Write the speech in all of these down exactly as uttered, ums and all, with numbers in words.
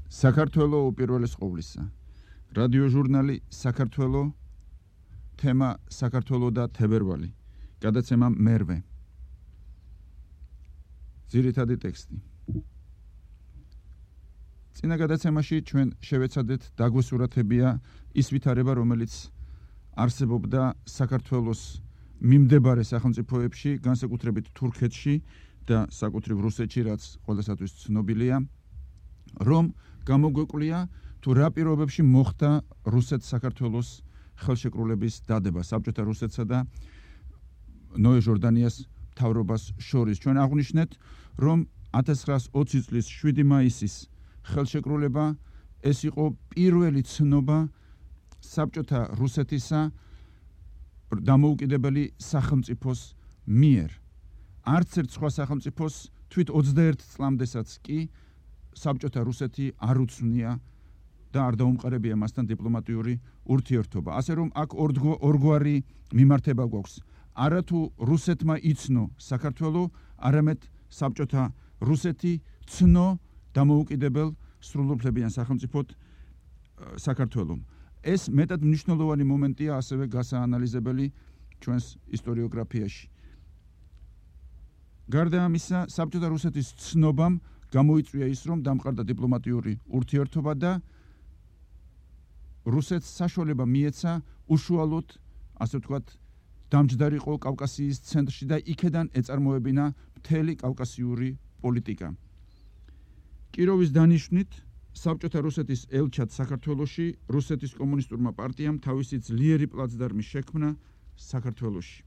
საქართველო უპირველეს ყოვლისა. რადიო ჟურნალი საქართველო, თემა საქართველო და თებერვალი. გადაცემა მერვე. ძირითადი ტექსტი. წინა გადაცემაში ჩვენ შევეცადეთ დაგვესურათებია ის ვითარება, რომელიც არსებობდა საქართველოს მიმდებარე სახელმწიფოებში, განსაკუთრებით თურქეთში და საკუთრივ რუსეთში, რაც ყველასათვის ცნობილია, რომ გამოგვეკვлия თუ რა პირობებში მოხდა რუსეთ-საქართველოს ხელშეკრულების დადება საბჭოთა რუსეთსა და ნოე ჟორდანიას მთავრობას შორის. ჩვენ აღვნიშნეთ, რომ ათას ცხრაას ოცი წლის შვიდი მაისის ხელშეკრულება ეს იყო პირველი ცნობა საბჭოთა რუსეთისა დამოუკიდებელი სახელმწიფოს მიერ. არც ერთ სხვა სახელმწიფოს თვით ოცდაერთ წლამდესაც კი საბჭოთა რუსეთი არ უცვნია და არ დაუმყარებია მასთან დიპლომატიური ურთიერთობა. ასე რომ აქ ორგვარი მიმართება გვაქვს. არა თუ რუსეთმა იცნო საქართველო, არამედ საბჭოთა რუსეთი ცნო დამოუკიდებელ სრულუფლებიან სახელმწიფოდ საქართველომ. ეს მეტად მნიშვნელოვანი მომენტია, ასევე გასაანალიზებელი ჩვენს ისტორიოგრაფიაში. გარდა ამისა, საბჭოთა რუსეთის ცნობამ გამოიწვია ის, რომ დამყარდა დიპლომატიური ურთიერთობა და რუსეთს საშუალება მიეცა უშუალოდ, ასე ვთქვათ, დამჯდარიყო კავკასიის ცენტრში და იქედან ეწარმოებინა მთელი კავკასიური პოლიტიკა. კიროვის დანიშვნით საბჭოთა რუსეთის ელჩად საქართველოში რუსეთის კომუნისტურმა პარტიამ თავისი ძლიერი პლაცდარმი შექმნა საქართველოში.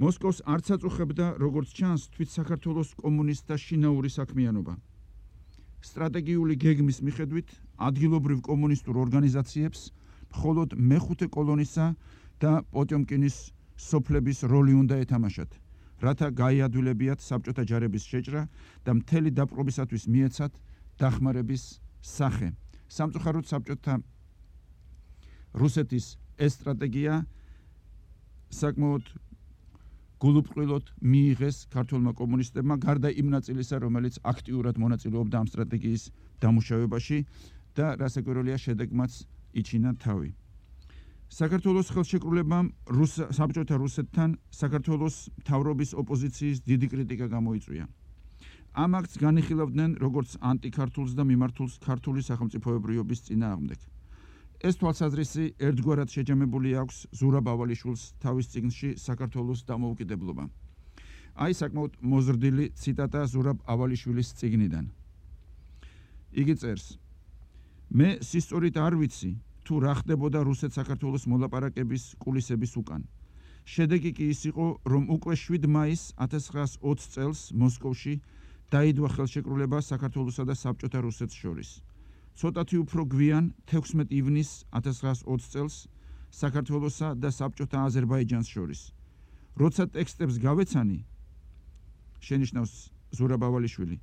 მოსკოვს არც აწუხებდა, როგორც ჩანს, თვით საქართველოს კომუნისტთა შინაური საქმიანობა. სტრატეგიული გეგმის მიხედვით ადგილობრივ კომუნისტურ ორგანიზაციებს მხოლოდ მეხუთე კოლონისა და პოტიომკინის სოფლების როლი უნდა ეთამაშათ, რათა გაიადვილებიათ საბჭოთა ჯარების შეჭრა და მთელი დაპყრობისათვის მიეცათ დახმარების სახე. სამწუხაროდ საბჭოთა რუსეთის ეს სტრატეგია საკმაოდ გულუბრყვილოდ მიიღეს ქართველმა კომუნისტებმა, გარდა იმ ნაწილისა, რომელიც აქტიურად მონაწილეობდა ამ სტრატეგიის დამუშავებაში და რასაკვირველია შედეგმაც იჩინა თავი. საქართველოს ხელშეკრულებამ საბჭოთა რუსეთთან საქართველოს მთავრობის ოპოზიციის დიდი კრიტიკა გამოიწვია. ამ აქტს განიხილავდნენ როგორც ანტიქართულს და მიმართულს ქართული სახელმწიფოებრიობის წინააღმდეგ. ეს თვალსაზრისი ერთგვარად შეჯამებული აქვს ზურაბ ავალიშვილს თავის წიგნში საქართველოს დამოუკიდებლობა. აი საკმაოდ მოზრდილი ციტატა ზურაბ ავალიშვილის წიგნიდან. იგი წერს: მე სისწორით არ ვიცი თუ რა ხდებოდა რუსეთ-საქართველოს მოლაპარაკების კულისების უკან. შედეგი კი ის იყო, რომ უკვე შვიდ მაისს ათას ცხრაას ოცი წელს მოსკოვში დაიდვა ხელშეკრულება საქართველოსა და საბჭოთა რუსეთს შორის. ცოტათი უფრო გვიან თექვსმეტ ივნისს ათას ცხრაას ოცი წელს საქართველოსა და საბჭოთა აზერბაიჯანს შორის. როცა ტექსტებს გავეცანი, შენიშნავს ზურაბ ავალიშვილი,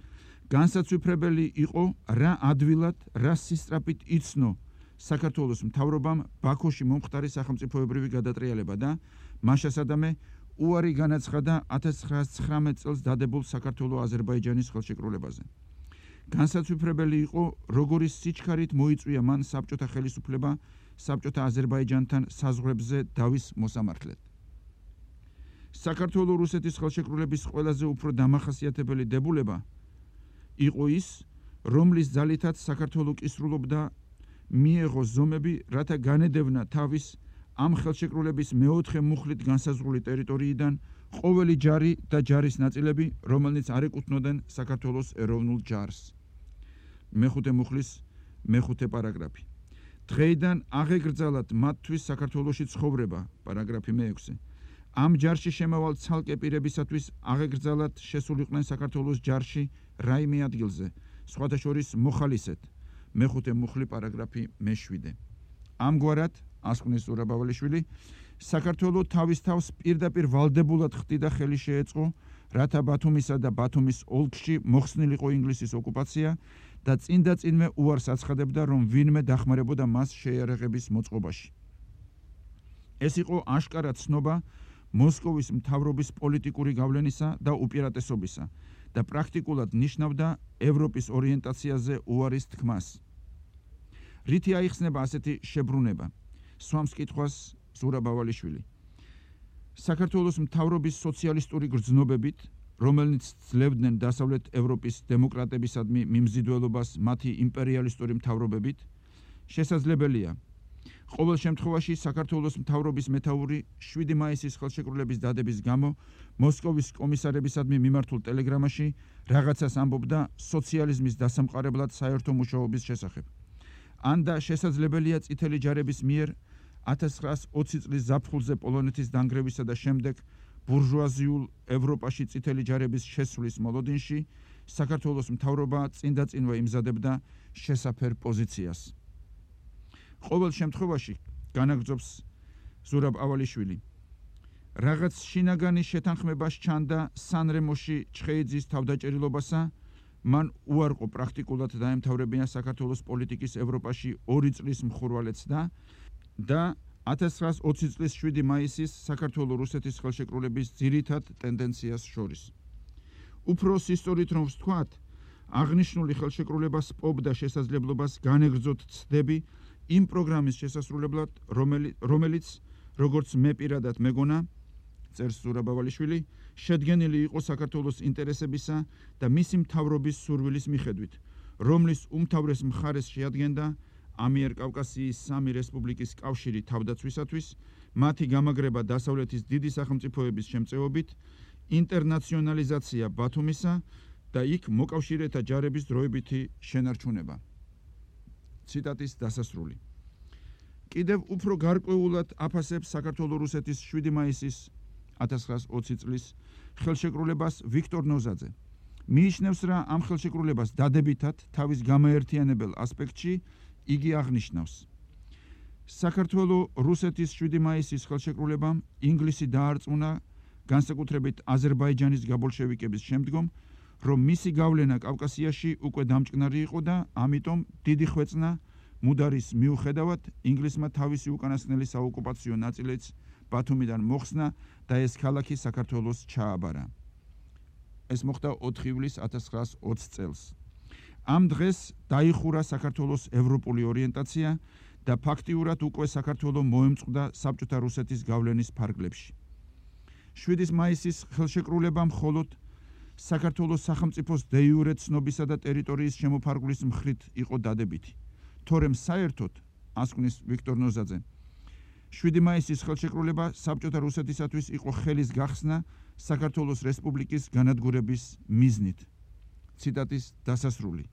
განსაცვიფრებელი იყო რა ადვილად, რა სისწრაფით იცნო საქართველოს მთავრობამ ბაქოში მომხდარი სახელმწიფოებრივი გადატრიალება და მაშასადამე უარი განაცხადა ათას ცხრაას ცხრამეტ წელს დადებულ საქართველო-აზერბაიჯანის ხელშეკრულებაზე. განსაცვიფრებელი იყო, როგორი სიჩქარით მოიწვია მან საბჭოთა ხელისუფლება საბჭოთა აზერბაიჯანთან საზღვრებზე დავის მოსამართლედ. საქართველო-რუსეთის ხელშეკრულების ყველაზე უფრო დამახასიათებელი დებულება იყო ის, რომლის ძალითაც საქართველო კისრულობდა მიეღო ზომები, რათა განედევნა თავის ამ ხელშეკრულების მეოთხე მუხლით განსაზღვრული ტერიტორიიდან ყოველი ჯარი და ჯარის ნაწილები, რომელნიც არ ეკუთვნოდნენ საქართველოს ეროვნულ ჯარს. მეხუთე მუხლის მეხუთე პარაგრაფი. დღეიდან აღეგრძალათ მათთვის საქართველოში ცხოვრება, პარაგრაფი მეექვსე. ამ ჯარში შემავალ ცალკე პირებისათვის აღეგრძალათ შესულიყვნენ საქართველოს ჯარში რაიმე ადგილზე, სხვათა შორის მოხალისედ. მეხუთე მუხლი პარაგრაფი მეშვიდე. ამგვარად, ასკვნეს ზურაბ ავალიშვილი, საქართველო თავის თავს პირდაპირ ვალდებულად ხდიდა ხელი შეეწყო, რათა ბათუმისა და ბათუმის ოლქში მოხსნილიყო ინგლისის ოკუპაცია და წინდა წინმე უარს აცხადებდა, რომ ვინმე დახმარებოდა მას შეიარაღების მოწყობაში. ეს იყო აშკარა ცნობა მოსკოვის მთავრობის პოლიტიკური გავლენისა და უპირატესობისა და პრაქტიკულად ნიშნავდა ევროპის ორიენტაციაზე უარის თქმას. რითი აიხსნება ასეთი შებრუნება? სვამს კითხვას ზურაბ ავალიშვილი. საქართველოს მთავრობის სოციალისტური გრძნობებით, რომელნიც ძლევდნენ დასავლეთ ევროპის დემოკრატებისადმი მიმზიდველობას მათი იმპერიალისტური მთავრობებით, შესაძლებელია ყოველ შემთხვევაში საქართველოს მთავრობის მეთაური შვიდი მაისის ხელშეკრულების დადების გამო მოსკოვის კომისარებისადმი მიმართულ ტელეგრამაში რაღაცას ამბობდა სოციალიზმის დასამყარებლად საერთო მუშაობის შესახებ. ან და შესაძლებელია წითელი ჯარების მიერ ათას ცხრაას ოცი წლის ზაფხულზე პოლონეთის დანგრევისა და შემდეგ ბურჟუაზიულ ევროპაში წითელი ჯარების შესვლის მოლოდინში საქართველოს მთავრობა წინდაწინვე იმზადებდა შესაფერ პოზიციას. ყოველ შემთხვევაში განაგრძობს ზურაბ ავალიშვილი. რაღაც შინაგანი შეთანხმება სჩანდა სანრემოში ჩხეიძის თავდაჭერილობასა, მან უარყო პრაქტიკულად დაემთავრებინა საქართველოს პოლიტიკის ევროპაში ორი წლის მხურვალეც და და ათას ცხრაას ოცი წლის შვიდი მაისის საქართველო-რუსეთის ხელშეკრულების ძირითად ტენდენციას შორის. უფრო სისტორით რომ ვთქვათ, აღნიშნული ხელშეკრულება სპობდა შესაძლებლობას განეგრძოთ ცდები იმ პროგრამის შესასრულებლად, რომელიც, როგორც მე პირადად მეგონა, წერს ზურაბ ავალიშვილი, შედგენილი იყო საქართველოს ინტერესებისა და მისი მთავრობის სურვილის მიხედვით, რომლის უმთავრეს მხარეს შეადგენდა ამიერკავკასიის სამი რესპუბლიკის კავშირი თავდაცვისათვის, მათი გამაგრება დასავლეთის დიდი სახელმწიფოების შემწეობით, ინტერნაციონალიზაცია ბათუმისა და იქ მოკავშირეთა ჯარების დროებითი შენარჩუნება. ციტატის დასასრული. კიდევ უფრო გარკვეულად აფასებს საქართველო-რუსეთის შვიდი მაისის ათას ცხრაას ოცი წლის ხელშეკრულებას ვიქტორ ნოზაძე. მიიჩნევს, რა ამ ხელშეკრულებას დადებითად თავის გამაერთიანებელ ასპექტში იგი აღნიშნავს. საქართველო-რუსეთის შვიდი მაისის ხელშეკრულებამ ინგლისი დაარწმუნა, განსაკუთრებით აზერბაიჯანის გაბოლშევიკების შემდგომ, რომ მისი გავლენა კავკასიაში უკვე დამჭკნარი იყო და ამიტომ დიდი ხვეწნა მუდარის მიუხედავად ინგლისმა თავისი უკანასკნელი საოკუპაციო ნაწილიც ბათუმიდან მოხსნა და ეს ქალაქი საქართველოს ჩააბარა. ეს მოხდა ოთხი ივლისს ათას ცხრაას ოცი წელს. ამ დღეს დაიხურა საქართველოს ევროპული ორიენტაცია და ფაქტიურად უკვე საქართველო მოემწყდა საბჭოთა რუსეთის გავლენის ფარგლებში. შვიდი მაისის ხელშეკრულება მხოლოდ საქართველოს სახელმწიფოს დე-იურე ცნობისა და ტერიტორიის შემოფარგლის მხრით იყო დადებითი. თორემ საერთოდ, ასკვნის ვიქტორ ნოზაძე, შვიდი მაისის ხელშეკრულება საბჭოთა რუსეთისათვის იყო ხელის გახსნა საქართველოს რესპუბლიკის განადგურების მიზნით. ციტატის დასასრული.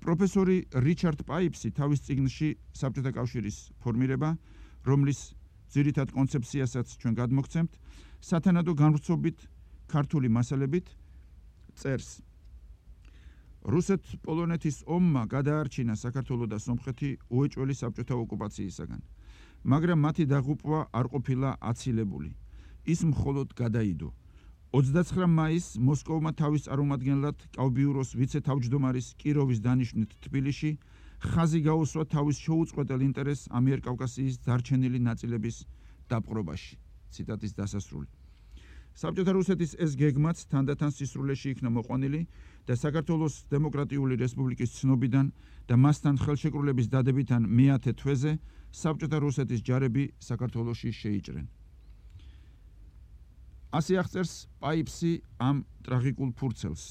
პროფესორი რიჩარდ პაიპსი თავის წიგნში საბჭოთა კავშირის ფორმირება, რომლის ძირითად კონცეფციასაც ჩვენ გადმოგცემთ, სათანადო განვრცობით ქართული მასალებით წერს. რუსეთ-პოლონეთის ომმა გადაარჩინა საქართველო და სომხეთი უეჭველი საბჭოთა ოკუპაციისაგან, მაგრამ მათი დაღუპვა არ ყოფილა აცილებული. ის მხოლოდ გადაიდო. ოცდაცხრა მაისს მოსკოვმა თავის წარმომადგენლად კავბიუროს ვიცე-თავმჯდომარის კიროვის დანიშვნით თბილისში ხაზი გაუსვა თავის შეუწყვეტელ ინტერესს ამიერკავკასიის დარჩენილი ნაწილების დაპყრობაში. ციტატის დასასრული. საბჭოთა რუსეთის ეს გეგმაც თანდათან სისრულეში იქნა მოყვანილი და საქართველოს დემოკრატიული რესპუბლიკის ცნობიდან და მასთან ხელშეკრულების დადებიდან მეათე თვეზე საბჭოთა რუსეთის ჯარები საქართველოში შეიჭრენ. ასე აღწერს პაიპსი ამ ტრაგიკულ ფურცელს.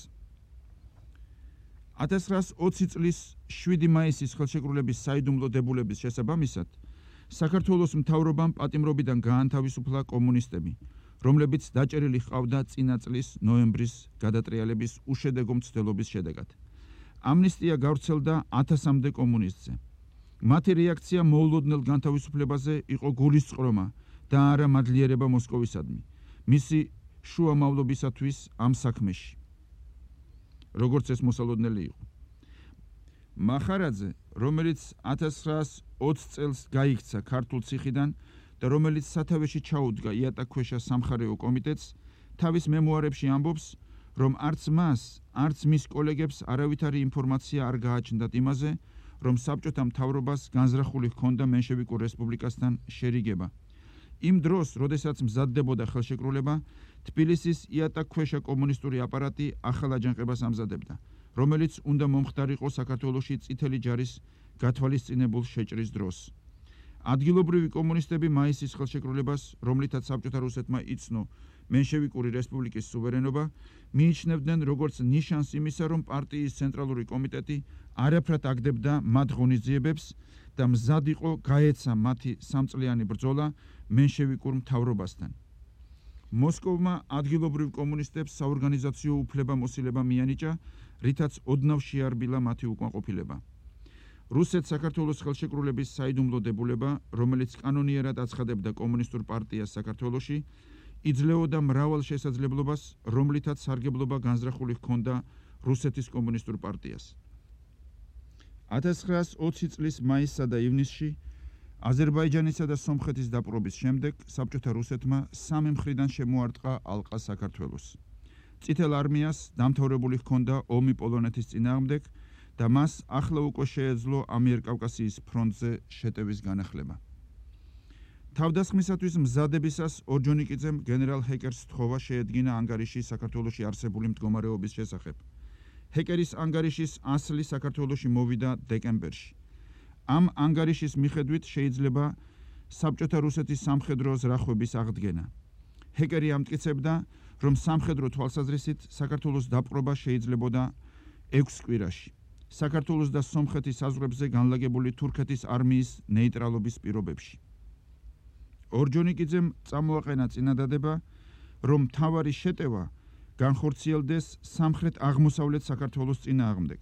ათას ცხრაას ოცი წლის შვიდი მაისის ხელშეკრულების საიდუმლო დებულების შესაბამისად, საქართველოს მთავრობამ პატიმრობიდან გაანთავისუფლა კომუნისტები, რომლებიც დაჭერილი ჰყავდა წინა წლის ნოემბრის გადატრიალების უშედეგო მცდელობის შედეგად. ამნისტია გავრცელდა ათასამდე კომუნისტზე. მათი რეაქცია მოულოდნელ განთავისუფლებაზე იყო გულისწყრომა და არა მადლიერება მოსკოვისადმი, მისი შუამავლობისათვის ამ საქმეში. როგორც ეს მოსალოდნელი იყო. მახარაძე, რომელიც ათას ცხრაას ოცი წელს გაიქცა ქართულ ციხიდან და რომელიც სათავეში ჩაუდგა იატაკქვეშა სამხარეო კომიტეტს, თავის მემუარებში ამბობს, რომ არც მას, არც მის კოლეგებს არავითარი ინფორმაცია არ გააჩნდათ იმაზე, რომ საბჭოთა მთავრობას განზრახული ჰქონდა მენშევიკურ რესპუბლიკასთან შერიგება. იმ დროს, როდესაც მზადდებოდა ხელშეკრულება, თბილისის იატაკქვეშა კომუნისტური აპარატი ახალ აჯანყებას ამზადებდა, რომელიც უნდა მომხდარიყო საქართველოში წითელი ჯარის გათვალისწინებულ შეჭრის დროს. ადგილობრივი კომუნისტები მაისის ხელშეკრულებას, რომლითაც საბჭოთა რუსეთმა იცნო მენშევიკური რესპუბლიკის სუვერენობა, მიიჩნევდნენ როგორც ნიშანს იმისა, რომ პარტიის ცენტრალური კომიტეტი არაფრად აგდებდა მათ ღონისძიებებს და მზად იყო გაეცა მათი სამწლიანი ბრძოლა მენშევიკურ მთავრობასთან. მოსკოვმა ადგილობრივ კომუნისტებს საორგანიზაციო უფლება-მოსილება მიანიჭა, რითაც ოდნავ შეარბილა მათი უკმაყოფილება. რუსეთ-საქართველოს ხელშეკრულების საიდუმლო დებულება, რომელიც კანონიერად აცხადებდა კომუნისტურ პარტიას საქართველოში, იძლეოდა მრავალ შესაძლებლობას, რომლითაც სარგებლობა განზრახული ჰქონდა რუსეთის კომუნისტურ პარტიას. ათას ცხრაას ოცი წლის მაისსა და ივნისში აზერბაიჯანისა და სომხეთის დაპყრობის შემდეგ საბჭოთა რუსეთმა სამი მხრიდან შემოარტყა ალყა საქართველოს. წითელ არმიას დამთავრებული ჰქონდა ომი პოლონეთის წინააღმდეგ და მას ახლა უკვე შეეძლო ამიერკავკასიის ფრონტზე შეტევის განახლება. თავდასხმისათვის მზადებისას ორჯონიკიძემ გენერალ ჰეკერს თხოვა შეედგინა ანგარიში საქართველოში არსებული მდგომარეობის შესახებ. ჰეკერის ანგარიშის ასლი საქართველოში მოვიდა დეკემბერში. ამ ანგარიშის მიხედვით შეიძლება საბჭოთა რუსეთის სამხედრო ზრახვების აღდგენა. ჰეკერი ამტკიცებდა, რომ სამხედრო თვალსაზრისით საქართველოს დაპყრობა შეიძლებოდა ექვს კვირაში. საქართველოს და სომხეთის საზღვრებზე განლაგებული თურქეთის არმიის ნეიტრალობის პირობებში. ორჯონიკიძემ წამოაყენა წინადადება, რომ მთავარი შეტევა განხორციელდეს სამხრეთ-აღმოსავლეთ საქართველოს წინააღმდეგ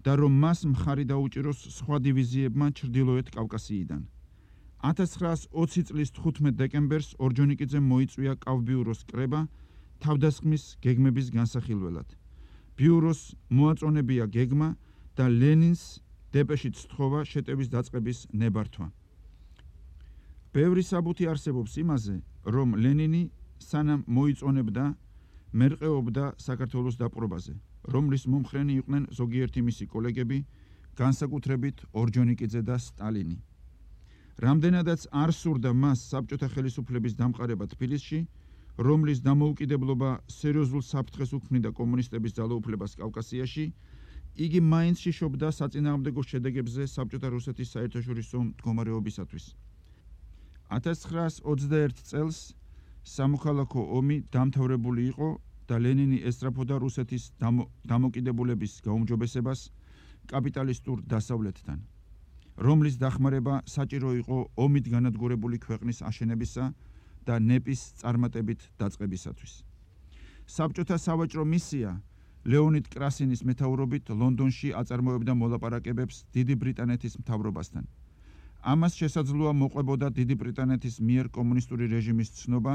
და რომ მას მხარი დაუჭიროს სხვა დივიზიებმა ჩრდილოეთ კავკასიიდან. ათას ცხრაას ოცი წლის თხუთმეტ დეკემბერს ორჯონიკიძემ მოიწვია კავბიუროს კრება თავდასხმის გეგმების განსახილველად. ბიუროს მოაწონებია გეგმა და ლენინს დეპეშით სთხოვა შეტევის დაწყების ნებართვა. ბევრი საბუთი არსებობს იმაზე, რომ ლენინი სანამ მოიწონებდა, მერყეობდა საქართველოს დაპყრობაზე, რომლის მომხრენი იყვნენ ზოგიერთი მისი კოლეგები, განსაკუთრებით ორჯონიკიძე და სტალინი. რამდენადაც არ სურდა მას საბჭოთა ხელისუფლების დამყარება თბილისში, რომლის დამოუკიდებლობა სერიოზულ საფრთხეს უქმნიდა კომუნისტების ძალაუფლებას კავკასიაში, იგი მაინც შიშობდა საწინააღმდეგო შედეგებზე საბჭოთა რუსეთის საერთაშორისო მდგომარეობისათვის. ათას ცხრაას ოცდაერთ წელს სამოქალაქო ომი დამთავრებული იყო და ლენინი ესწრაფოდა რუსეთის დამო, დამოკიდებულების გაუმჯობესებას კაპიტალისტურ დასავლეთთან, რომლის დახმარება საჭირო იყო ომით განადგურებული ქვეყნის აშენებისა და ნეპის წარმატებით დაწყებისათვის. საბჭოთა სავაჭრო მისია ლეონიდ კრასინის მეთაურობით ლონდონში აწარმოებდა მოლაპარაკებებს დიდი ბრიტანეთის მთავრობასთან. ამას შესაძლოა მოყვებოდა დიდი ბრიტანეთის მიერ კომუნისტური რეჟიმის ცნობა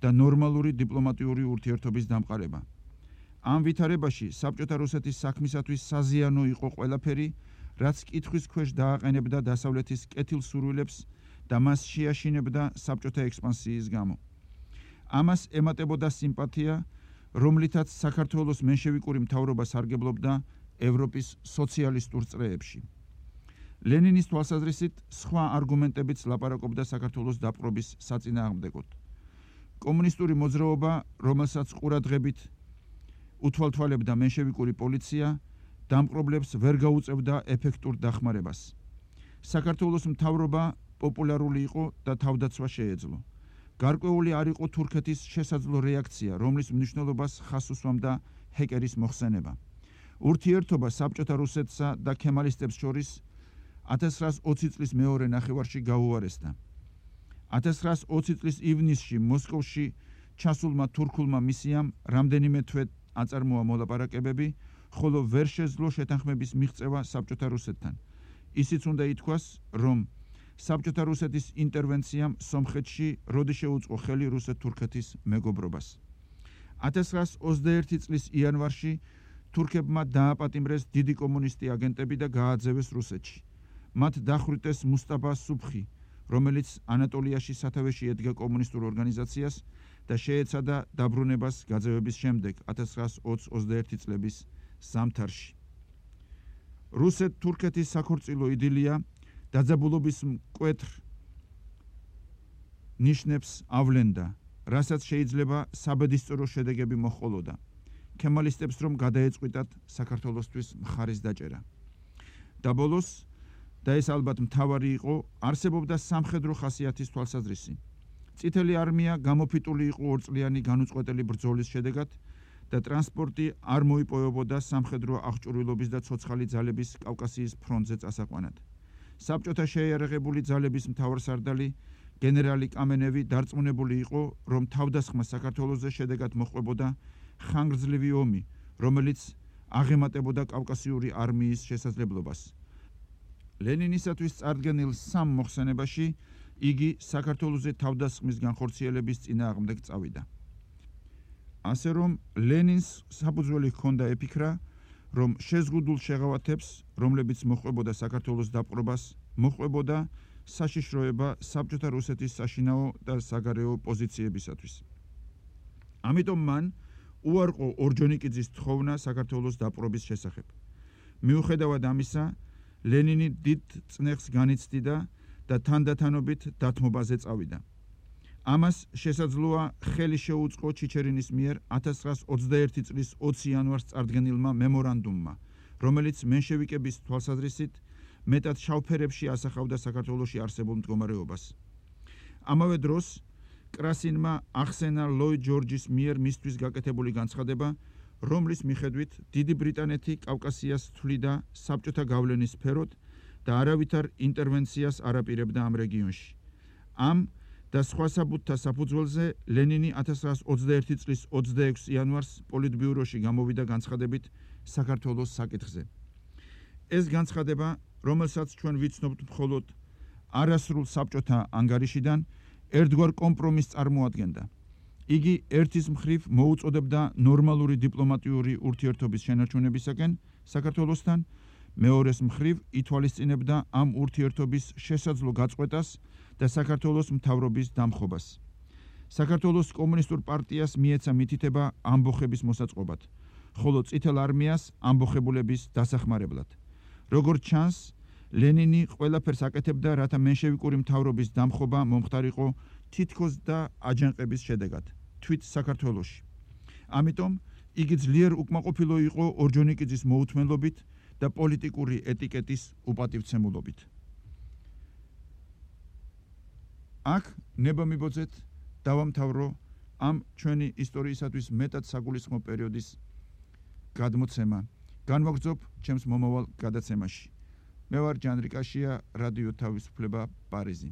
და ნორმალური დიპლომატიური ურთიერთობის დამყარება. ამ ვითარებაში საბჭოთა რუსეთის საქმისათვის საზიანო იყო ყველაფერი, რაც კითხვის ქვეშ დააყენებდა დასავლეთის კეთილსურვილებს და მას შეაშინებდა საბჭოთა ექსპანსიის გამო. ამას ემატებოდა სიმპათია, რომლითაც საქართველოს მენშევიკური მთავრობა სარგებლობდა ევროპის სოციალისტურ წრეებში. ლენინის თვალსაზრისით სხვა არგუმენტებიც ლაპარაკობდა საქართველოს დაპყრობის საწინააღმდეგოდ. კომუნისტური მოძრაობა, რომელსაც ყურადღებით უთვალთვალებდა მენშევიკური პოლიცია, დამპყრობლებს ვერ გაუწევდა ეფექტურ დახმარებას. საქართველოს მთავრობა პოპულარული იყო და თავდაცვა შეეძლო. გარკვეული არ იყო თურქეთის შესაძლო რეაქცია, რომლის მნიშვნელობას ხაზს უსვამდა ჰეკერის მოხსენება. ურთიერთობა საბჭოთა რუსეთსა და ქემალისტებს შორის ათას ცხრაას ოცი წლის მეორე ნახევარში გაუარესდა. ათას ცხრაას ოცი წლის ივნისში მოსკოვში ჩასულმა თურქულმა მისიამ რამდენიმე თვე აწარმოა მოლაპარაკებები, ხოლო ვერ შეძლო შეთანხმების მიღწევა საბჭოთა რუსეთთან. ისიც უნდა ითქვას, რომ საბჭოთა რუსეთის ინტერვენციამ სომხეთში როდი შეუწყო ხელი რუსეთ-თურქეთის მეგობრობას. ათას ცხრაას ოცდაერთი წლის იანვარში თურქებმა დააპატიმრეს დიდი კომუნისტი აგენტები და გააძევეს რუსეთში. მათ დახვრიტეს მუსტაფა სუბხი, რომელიც ანატოლიაში სათავეში ედგა კომუნისტურ ორგანიზაციას და შეეცადა დაბრუნებას გაძევების შემდეგ ათას ცხრაას ოცდაერთი წლების ზამთარში. რუსეთ-თურქეთის საქორწილო იდილია დაძაბულობის მკვეთრ ნიშნებს ავლენდა რასაც შეიძლება საბედისწერო შედეგები მოჰყოლოდა. ქემალისტებს რომ გადაეწყვიტათ საქართველოსთვის მხარის დაჭერა. და ბოლოს, და ეს ალბათ მთავარი იყო, არსებობდა სამხედრო ხასიათის თვალსაზრისი. წითელი არმია გამოფიტული იყო ორწლიანი განუწყვეტელი ბრძოლის შედეგად და ტრანსპორტი არ მოიპოვებოდა სამხედრო აღჭურვილობის და ცოცხალი ძალების კავკასიის ფრონტზე წასაყვანად. საბჭოთა შეიარაღებული ძალების მთავარსარდალი გენერალი კამენევი დარწმუნებული იყო, რომ თავდასხმა საქართველოზე შედეგად მოჰყვებოდა ხანგრძლივი ომი, რომელიც აღემატებოდა კავკასიური არმიის შესაძლებლობას. ლენინისათვის წარდგენილ სამ მოხსენებაში იგი საქართველოზე თავდასხმის განხორციელების წინააღმდეგ წავიდა. ასე რომ ლენინს საფუძველი ჰქონდა epikra, რომ შეზღუდულ შეღავათებს, რომლებიც მოჰყვებოდა საქართველოს დაპყრობას, მოჰყვებოდა საშიშროება საბჭოთა რუსეთის საშინაო და საგარეო პოზიციებისათვის. ამიტომ მან უარყო ორჯონიკიძის თხოვნა საქართველოს დაპყრობის შესახებ. მიუხედავად ამისა, ლენინი დიდ წნეხს განიცდიდა და თანდათანობით დათმობაზე წავიდა. ამას შესაძლოა ხელი შეუწყო ჩიჩერინის მიერ ათას ცხრაას ოცდაერთი წლის ოცი იანვარს წარდგენილმა მემორანდუმმა, რომელიც მენშევიკების თვალსაზრისით მეტად შავფერებში ასახავდა საქართველოში არსებულ მდგომარეობას. ამავე დროს კრასინმა ახსენა ლოიდ ჯორჯის მიერ მისთვის გაკეთებული განცხადება, რომლის მიხედვით დიდი ბრიტანეთი კავკასიას თვლიდა საბჭოთა გავლენის სფეროდ და არავითარ ინტერვენციას არ აპირებდა ამ რეგიონში. ამ და სხვა საბუთთა საფუძველზე ლენინი ათას ცხრაას ოცდაერთი წლის ოცდაექვსი იანვარს პოლიტბიუროში გამოვიდა განცხადებით საქართველოს საკითხზე. ეს განცხადება, რომელსაც ჩვენ ვიცნობთ მხოლოდ არასრულ საბჭოთა ანგარიშიდან, ერთგვარ კომპრომისს წარმოადგენდა. იგი ერთის მხრივ მოუწოდებდა ნორმალური დიპლომატიური ურთიერთობის შენარჩუნებისაკენ საქართველოსთან, მეორეს მხრივ ითვალისწინებდა ამ ურთიერთობის შესაძლო გაწყვეტას და საქართველოს მთავრობის დამხობას. საქართველოს კომუნისტურ პარტიას მიეცა მითითება ამბოხების მოსაწყობად, ხოლო წითელ არმიას ამბოხებულების დასახმარებლად. როგორც ჩანს, ლენინი ყველაფერს აკეთებდა, რათა მენშევიკური მთავრობის დამხობა მომხდარიყო თითქოს და აჯანყების შედეგად, თვით საქართველოში. ამიტომ იგი ძლიერ უკმაყოფილო იყო ორჯონიკიძის მოუთმენლობით და პოლიტიკური ეტიკეტის უპატივცემულობით. აქ ნება მიბოძეთ დავამთავრო ამ ჩვენი ისტორიისათვის მეტად საგულისხმო პერიოდის გადმოცემა. განვაგრძობ ჩემს მომავალ გადაცემაში. მე ვარ ჯანრი კაშია, რადიო თავისუფლება, პარიზი.